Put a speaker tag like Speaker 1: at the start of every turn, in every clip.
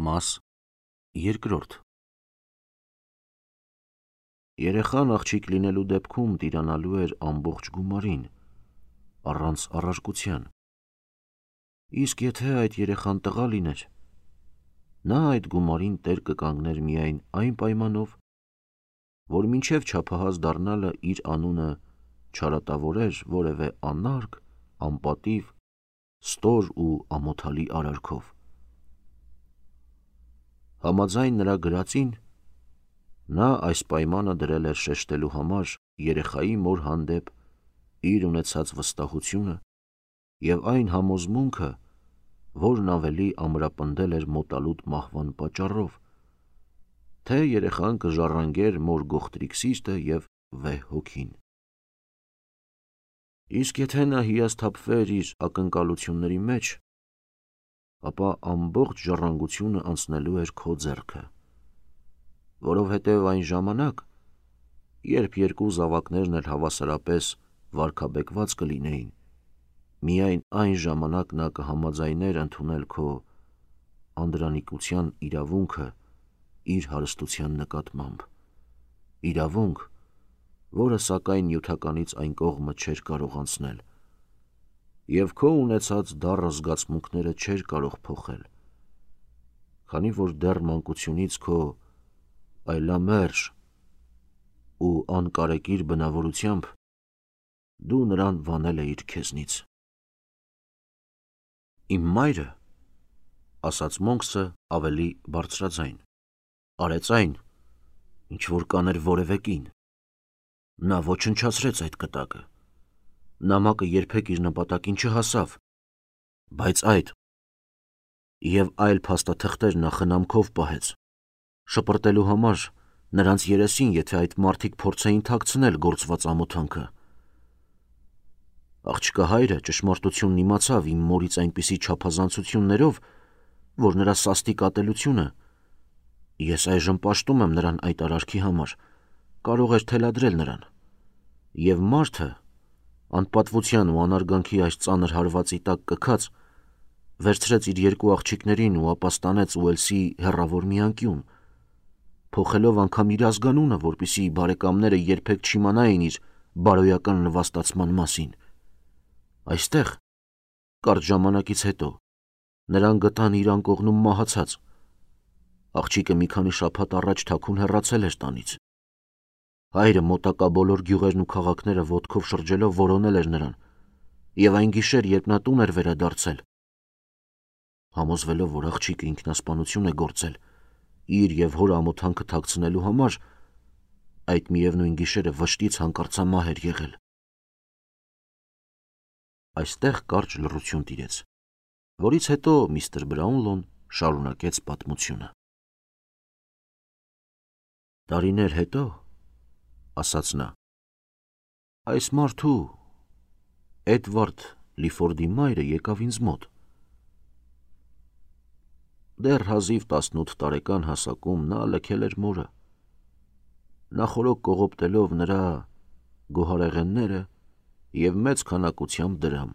Speaker 1: Մաս երկրորդ Երեխան աղջիկ լինելու դեպքում տիրանալու էր ամբողջ գումարին, առանց առարկության։ Իսկ եթե այդ երեխան տղա լիներ, նա այդ գումարին տեր կկանգներ միայն այն պայմանով, որ մինչև չափահաս դառնալը իր անունը չարատավորեր որևէ անարգ, անպատիվ, ստոր ու ամոթալի արարքով։ Համաձայն նրա գրածին, նա այս պայմանը դրել էր շեշտելու համար երեխայի մոր հանդեպ իր ունեցած վստահությունը և այն համոզմունքը, որն ավելի ամրապնդել էր մոտալուտ մահվան պատճառով, թե երեխան կժառանգեր մոր գողտրիկ սիրտը և վեհ հոգին։ Իսկ եթե նա հիասթափվեր իր ակնկալությունների մեջ, ապա ամբողջ ժառանգությունը անցնելու էր քո ձեռքը, որովհետև այն ժամանակ, երբ երկու զավակներն էլ հավասարապես վարքաբեկված կլինեին, միայն այն ժամանակ նա կհամաձայներ ընդունել քո անդրանիկության իրավունքը իր հարստության նկատմամբ, իրավունք, որը սակայն նյութականից այն կողմը չէր կարող անցնել, և քո ունեցած դառը զգացմունքները չէր կարող փոխել, քանի որ դեռ մանկությունից քո այլամերժ ու անկարեկիր բնավորությամբ դու նրան վանել էիր քեզնից։ Իմ մայրը, ասաց Մոնքսը ավելի բարձրաձայն, արեց այն, ինչ որ կաներ որևէ կին։ Նա ոչնչացրեց այդ կտակը, նամակը երբեք իր նպատակին չհասավ, բայց այդ և այլ փաստաթղթեր նա խնամքով պահեց, շպրտելու համար նրանց երեսին, եթե այդ մարդիկ փորձեին թաքցնել գործված ամոթանքը։ Աղջկա հայրը ճշմարտությունն իմացավ իմ մորից այնպիսի չափազանցություններով, որ նրա սաստիկ ատելությունը, ես այժմ պաշտում եմ նրան այդ արարքի համար, կարող էր թելադրել նրան, և մարդը, անպատվության ու անարգանքի այս ծանր հարվածի տակ կքած, վերցրեց իր երկու աղջիկներին ու ապաստանեց Ուելսի հեռավոր մի անկյուն, փոխելով անգամ իր ազգանունը, որպեսզի բարեկամները երբեք չիմանային իր բարոյական նվաստացման մասին։ Այստեղ, կարճ ժամանակից հետո, նրան գտան իր անկողնում մահացած։ Աղջիկը մի քանի շաբաթ առաջ թաքուն հեռացել էր տանից։ Հայրը մոտակա բոլոր գյուղերն ու քաղաքները ոտքով շրջելով որոնել էր նրան, և այն գիշեր, երբ նա տուն էր վերադարձել, համոզվելով, որ աղջիկը ինքնասպանություն է գործել, իր և հոր ամոթանքը թաքցնելու համար, այդ միևնույն գիշերը վշտից հանկարծամահ էր եղել։ Այստեղ կարճ լռություն տիրեց, որից հետո միստր Բրաունլոն շարունակեց պատմությունը։ Տարիներ հետո, ասաց նա, այս մարդու, Էդվարդ Լիֆորդի մայրը եկավ ինձ մոտ։ Դեռ հազիվ 18 տարեկան հասակում նա լքել էր մորը, նախօրոք կողոպտելով նրա գոհարեղենները և մեծ քանակությամբ դրամ։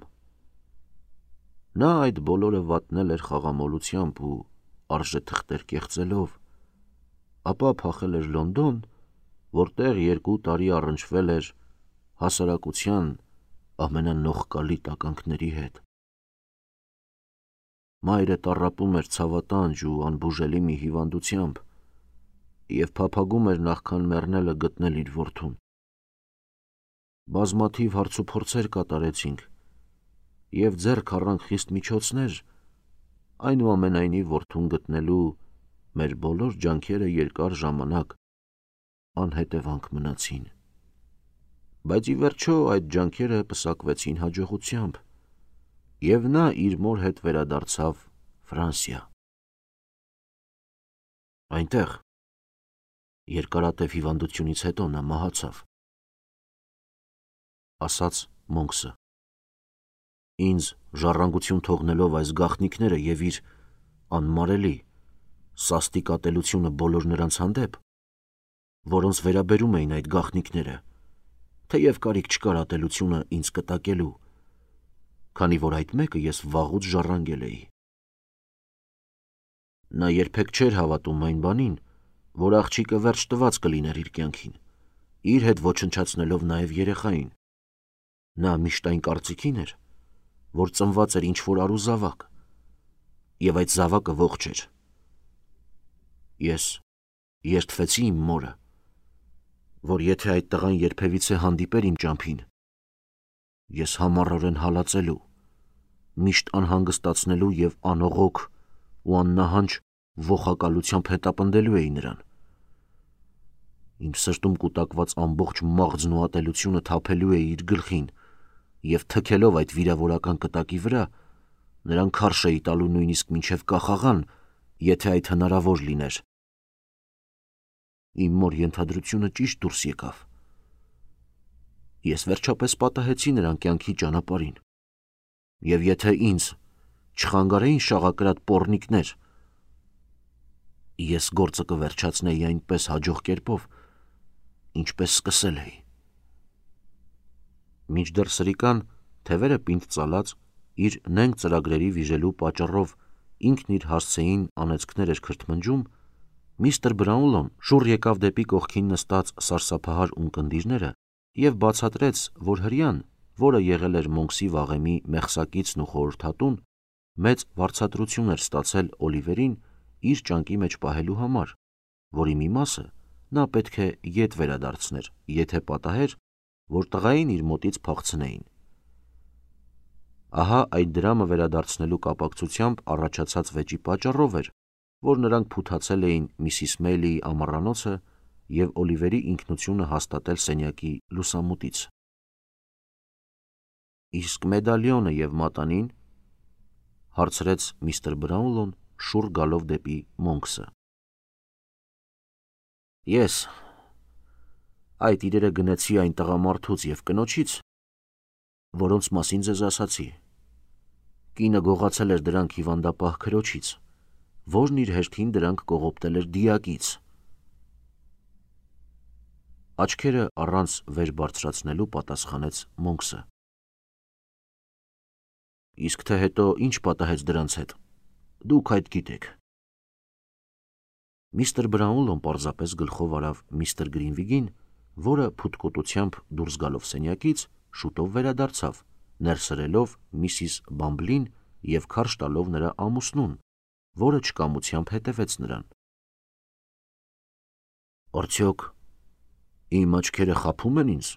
Speaker 1: Նա այդ բոլորը վատնել էր խաղամոլությամբ ու արժեթղթեր կեղծելով, ապա փախել էր Լոնդոն, որտեղ 2 տարի առնչվել էր հասարակության ամենանողկալի տականքների հետ։ Մայրը տառապում էր ցավատանջ ու անբուժելի մի հիվանդությամբ և փափագում էր նախքան մեռնելը գտնել իր որդուն։ Բազմաթիվ հարցուփորձեր կատարեցինք և ձեռք առանք խիստ միջոցներ, այնուամենայնիվ որդուն գտնելու մեր բոլոր ջանքերը երկար ժամանակ անհետևանք մնացին, բայց ի վերջո այդ ջանքերը պսակվեցին հաջողությամբ, և նա իր մոր հետ վերադարձավ Ֆրանսիա։ Այնտեղ, երկարատև հիվանդությունից հետո նա մահացավ, ասաց Մոնքսը, ինձ ժառանգություն թողնելով այս գաղտնիքները և իր անմարելի, սաստիկ ատելությունը բոլոր նրանց հանդեպ, որոնց վերաբերում էին այդ գաղտնիքները, թեև կարիք չկար ատելությունը ինձ կտակելու, քանի որ այդ մեկը ես վաղուց ժառանգել էի։ Նա երբեք չէր հավատում այն բանին, որ աղջիկը վերջ տված կլիներ իր կյանքին, իր հետ ոչնչացնելով նաև երեխային։ Նա միշտ այն կարծիքին էր, որ ծնված էր ինչ-որ առուզավակ, և այդ զավակը ողջ էր։ Ես երդվեցի իմ մորը, որ եթե այդ տղան երբևիցե հանդիպեր իմ ճամփին, ես համառորեն հալածելու, միշտ անհանգստացնելու և անողոք ու աննահանջ ոխակալությամբ հետապնդելու էի նրան։ Իմ սրտում կուտակված ամբողջ մաղձն ու ատելությունը թափելու էի իր գլխին և թքելով այդ վիրավորական կտակի վրա, նրան քարշ էի տալու նույնիսկ մինչև կախաղան, եթե այդ հնարավոր լիներ։ Իմ մոր ենթադրությունը ճիշտ դուրս եկավ։ Ես վերջապես պատահեցի նրան կյանքի ճանապարհին, և եթե ինձ չխանգարեին շաղակրատ պոռնիկներ, ես գործը կվերջացնեի այնպես հաջող կերպով, ինչպես սկսել էի։ Մինչդեռ սրիկան, թևերը պինդ ծալած, իր նենգ ծրագրերի վիժելու պատճառով ինքն իր հասցեին անեծքներ էր քրթմնջում, միստր Բրաունլոն շուռ եկավ դեպի կողքին նստած սարսափահար ունկնդիրները և բացատրեց, որ հրեան, որը եղել էր Մոնքսի վաղեմի մեղսակիցն ու խորհրդատուն, մեծ վարձատրություն էր ստացել Օլիվերին իր ճանկի մեջ պահելու համար, որի մի մասը նա պետք է ետ վերադարձներ, եթե պատահեր, որ տղային իր մոտից փախցնեին։ Ահա այդ դրամը վերադարձնելու կապակցությամբ առաջացած վեճի պատճառով էր, որ նրանք փութացել էին Միսիս Մեյլիի ամառանոցը և Օլիվերի ինքնությունը հաստատել սենյակի լուսամուտից։ Իսկ մեդալիոնը և մատանին, հարցրեց միստր Բրաունլոն շուռ գալով դեպի Մոնքսը։ Ես այդ իրերը գնեցի այն տղամարդուց և կնոջից, որոնց մասին ձեզ ասացի։ Կինը գողացել էր դրանք հիվանդապահ քրոջից, որն իր հերթին դրանք կողոպտել էր դիակից։ Աչքերը առանց վեր բարձրացնելու պատասխանեց Մոնքսը։ Իսկ թե հետո ինչ պատահեց դրանց հետ, դուք այդ գիտեք։ Միստր Բրաունլոն պարզապես գլխով արավ միստր Գրինվիգին, որը փութկոտությամբ դուրս գալով սենյակից շուտով վերադարձավ, ներսրելով Միսիս Բամբլին և քարշ տալով նրա ամուսնուն, որը չկամությամբ հետևեց նրան։ Արդյոք իմ աչքերը խաբում են ինձ,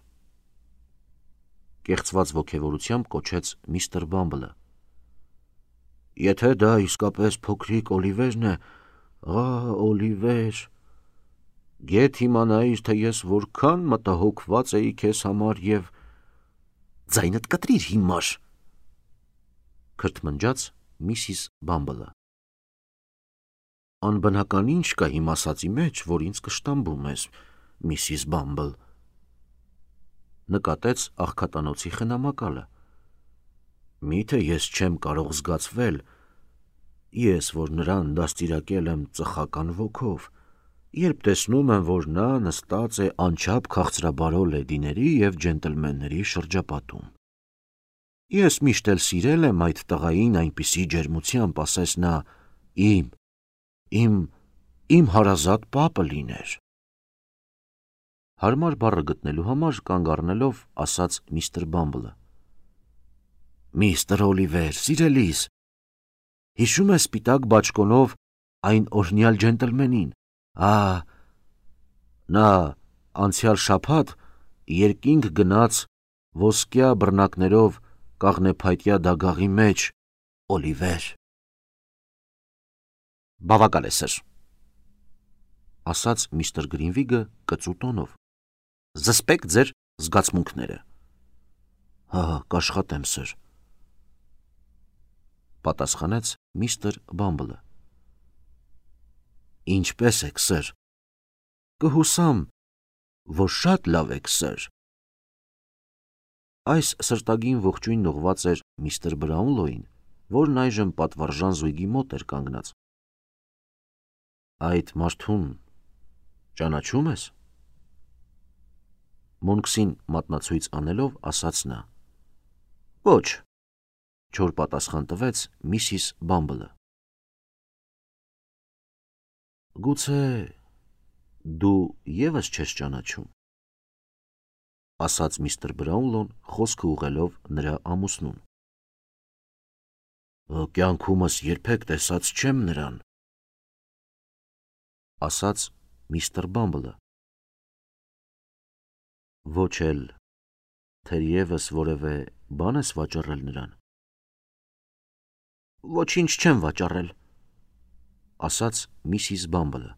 Speaker 1: կեղծված ոգևորությամբ կոչեց միստր Բամբլը։ Եթե դա իսկապես փոքրիկ Օլիվերն է, Օլիվեր, գեթ իմանայիր, թե ես որքան մտահոգված էի քեզ համար և… Ձայնդ կտրիր, հիմար, քրթմնջաց Միսիս Բամբլը։ Անբնական ինչ կա իմ ասածի մեջ, որ ինձ կշտամբում ես, Միսիս Բամբլ, նկատեց աղքատանոցի խնամակալը։ Միթե ես չեմ կարող զգացվել, ես, որ նրան դաստիարակել եմ ծխական ոգով, երբ տեսնում եմ, որ նա նստած է անչափ քաղցրաբարո լեդիների և ջենտլմենների շրջապատում։ Ես միշտ էլ սիրել եմ այդ տղային այնպիսի ջերմությամբ, ասես նա իմ հարազատ պապը լիներ։ Հարմար բառը գտնելու համար կանգ առնելով ասաց միստր Բամբլը. Միստր Օլիվեր, սիրելիս, հիշում ես սպիտակ բաճկոնով այն օրհնյալ ջենտլմենին, նա անցյալ շաբաթ երկինք գնաց ոսկյա բռնակներով կաղնեփայտյա դագաղի մեջ, Օլիվեր։ Բավական է, սըր, ասաց միստր Գրինվիգը կծու տոնով, զսպեք ձեր զգացմունքները։ Կաշխատեմ, սըր, պատասխանեց միստր Բամբլը։ Ինչպե՞ս եք, սըր։ Կհուսամ, որ շատ լավ եք, սըր։ Այս սրտագին ողջույնն ուղղված էր միստր Բրաունլոյին, որն այժմ պատվարժան զույգի մոտ էր կանգնած։ Այդ մարդուն ճանաչում ես։ Մոնքսին մատնացույց անելով ասաց նա։ Ոչ, չոր պատասխան տվեց Միսիս Բամբլը։ Գուցե դու եւս չես ճանաչում, ասաց միստր Բրաունլոն խոսքը ուղղելով նրա ամուսնուն։ Կյանքումս երբեք տեսած չեմ նրան, ասաց միստր Բամբլը։ Ոչ էլ թերևս որևէ բան ես վաճառել նրան։ Ոչինչ չեմ վաճառել, ասաց միսիս Բամբլը։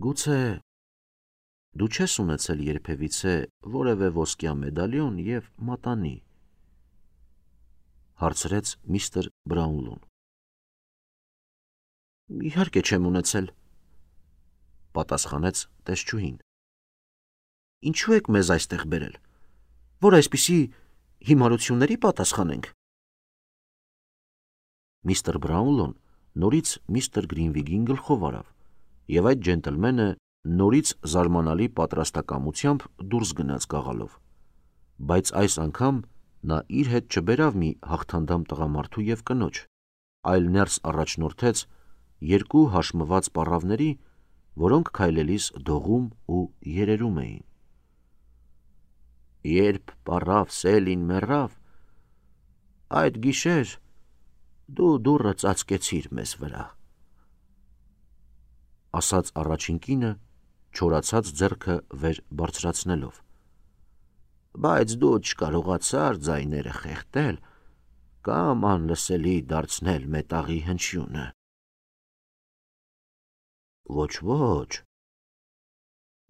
Speaker 1: Գուցե դու չես ունեցել երբևիցե որևէ ոսկյա մեդալիոն եւ մատանի, հարցրեց միստր Բրաունլոն։ Իհարկե չեմ ունեցել, պատասխանեց տեսչուհին։ Ինչու եք մեզ այստեղ բերել, որ այսպիսի հիմարությունների պատասխանենք։ Միստր Բրաունլոն նորից միստր Գրինվիգին գլխով արավ, եւ այդ ջենտլմենը նորից զարմանալի պատրաստակամությամբ դուրս գնաց գաղալով, բայց այս անգամ նա իր հետ չբերավ մի հաղթանդամ տղամարդու եւ կնոջ, այլ ներս առաջնորդեց երկու հաշմված պառավների, որոնք քայլելիս դողում ու երերում էին։ Երբ պառավ Սելին մեռավ, այդ գիշեր դու դուռը ծածկեցիր մեզ վրա, ասաց առաջին կինը, չորացած ձեռքը վեր բարձրացնելով։ Բայց դու չկարողացար ձայները խեղդել կամ անլսելի դարձնել մետաղի հնչյունը։ Ոչ,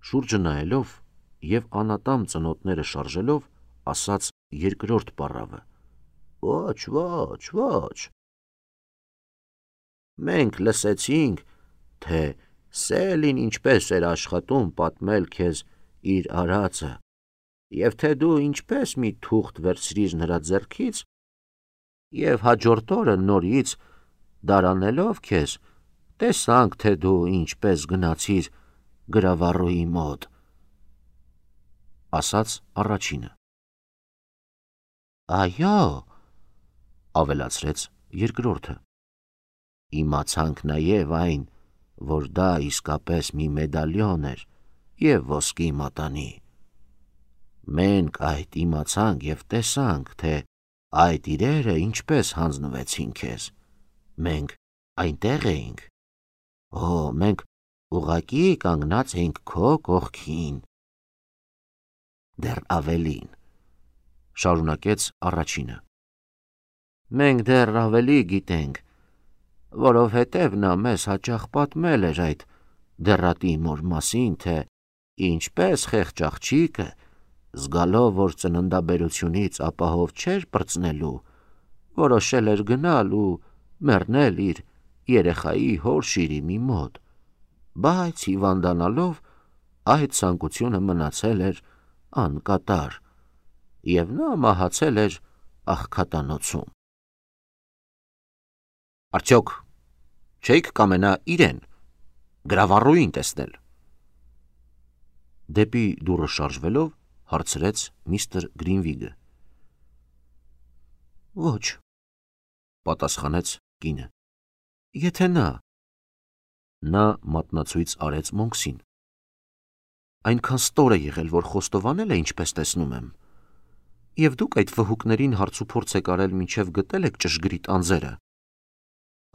Speaker 1: շուրջը նայելով եւ անատամ ծնոտները շարժելով, ասաց երկրորդ պառավը։ Ոչ։ Մենք լսեցինք, թե Սելին ինչպես էր աշխատում պատմել քեզ իր արածը, եւ թե դու ինչպես մի թուղթ վերցրիր նրա ձեռքից, եւ հաջորդ օրը նորից դարանելով քեզ, տեսանք, թե դու ինչպես գնացիր գրավառուի մոտ, ասաց առաջինը։ Այո, ավելացրեց երկրորդը։ Իմացանք նաև այն, որ դա իսկապես մի մեդալիոն էր եւ ոսկի մատանի։ Մենք այդ իմացանք եւ տեսանք, թե այդ իրերը ինչպես հանձնվեցին քեզ։ Մենք այնտեղ էինք։ Մենք ուղղակի կանգնած էինք քո կողքին։ Դեռ ավելին, շարունակեց առաջինը։ Մենք դեռ ավելի գիտենք, որովհետև նա մեզ հաճախ պատմել էր այդ դեռատի մոր մասին, թե ինչպես խեղճ աղջիկը, զգալով, որ ծննդաբերությունից ապահով չէր պրծնելու, որոշել էր գնալ ու մեռնել իր երեխայի հոր շիրիմի մոտ, բայց հիվանդանալով այդ ցանկությունը մնացել էր անկատար, եւ նա մահացել էր աղքատանոցում։ Արդյոք չէիք կամենա իրեն գրավառուին տեսնել։ Դեպի դուռը շարժվելով հարցրեց միստր Գրինվիգը։ Ոչ, պատասխանեց կինը։ Եթե նա մատնացույց արեց Մոնքսին։ Այնքան ստոր է եղել, որ խոստովանել է, ինչպես տեսնում եմ, եւ դուք այդ վհուկներին հարցուփորձ եք արել մինչեւ գտել եք ճշգրիտ անձերը,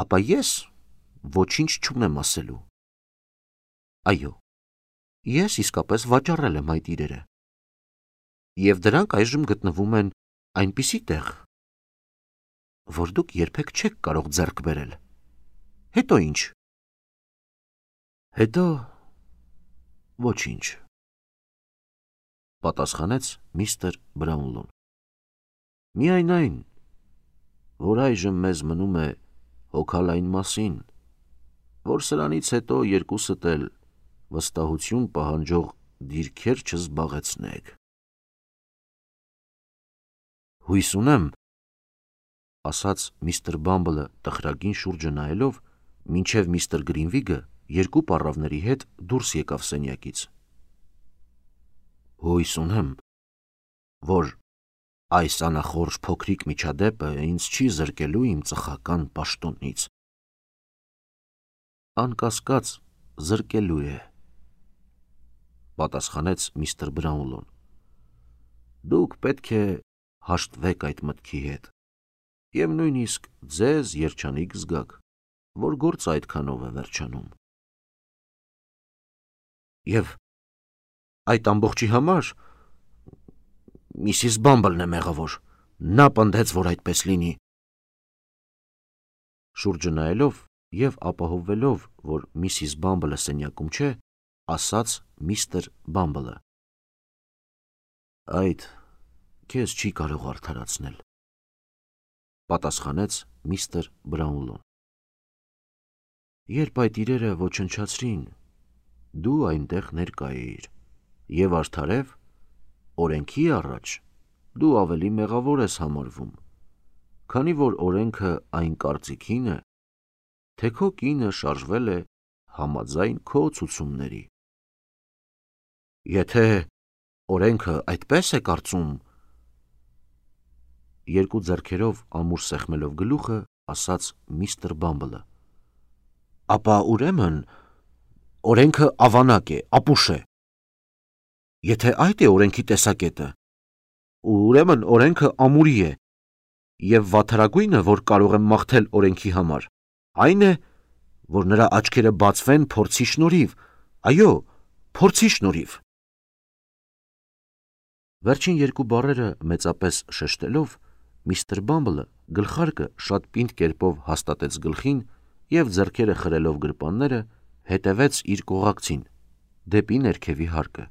Speaker 1: ապա ես ոչինչ չունեմ ասելու։ Այո, ես իսկապես վաճառել եմ այդ իրերը, եւ դրանք այժմ գտնվում են այնպիսի տեղ, որ դուք երբեք չեք կարող ձեռք բերել։ Հետո ինչ։ Հետո ոչինչ, պատասխանեց միստր Բրաունլոն։ Միայն այն, որ այժմ մեզ մնում է հոգալ այն մասին, որ սրանից հետո երկուսդ էլ վստահություն պահանջող դիրքեր չզբաղեցնեք։ Հույս ունեմ, ասաց միստր Բամբլը տխրագին շուրջը նայելով, մինչև միստր Գրինվիգը երկու պառավների հետ դուրս եկավ սենյակից։ Հույս ունեմ, որ այս անախորժ փոքրիկ միջադեպը ինձ չի զրկելու իմ ծխական պաշտոնից։ անկասկած զրկելու է, պատասխանեց միստր Բրաունլոն։ Դուք պետք է հաշտվեք այդ մտքի հետ, և նույնիսկ ձեզ երջանիկ զգաք, որ գործը այդքանով է վերջանում։ Եվ այդ ամբողջի համար Միսիս Բամբլն է մեղավոր, նա պնդեց, որ այդպես լինի։ Շուրջը նայելով և ապահովվելով, որ Միսիս Բամբլը սենյակում չէ, ասաց միստր Բամբլը. Այդ քեզ չի կարող արդարացնել, պատասխանեց միստր Բրաունլոն։ Երբ այդ իրերը ոչնչացրին, դու այնտեղ ներկա էիր, և արդարև, օրենքի առաջ դու ավելի մեղավոր ես համարվում, քանի որ օրենքը այն կարծիքին է, թե քո կինը շարժվել է համաձայն քո ցուցումների։ Եթե օրենքը այդպես է կարծում, երկու ձեռքերով ամուր սեղմելով գլուխը, ասաց միստր Բամբլը, ապա ուրեմն օրենքը ավանակ է, ապուշ է։ Եթե այդ է օրենքի տեսակետը, ուրեմն օրենքը ամուրի է, և վատթարագույնը, որ կարող եմ մաղթել օրենքի համար, այն է, որ նրա աչքերը բացվեն փորձի շնորհիվ, այո, փորձի շնորհիվ։ Վերջին երկու բառերը մեծապես շեշտելով, միստր Բամբլը գլխարկը շատ պինդ կերպով հաստատեց գլխին և ձեռքերը խրելով գրպանները, հետևեց իր կողակցին, դեպի ներքևի հարկը։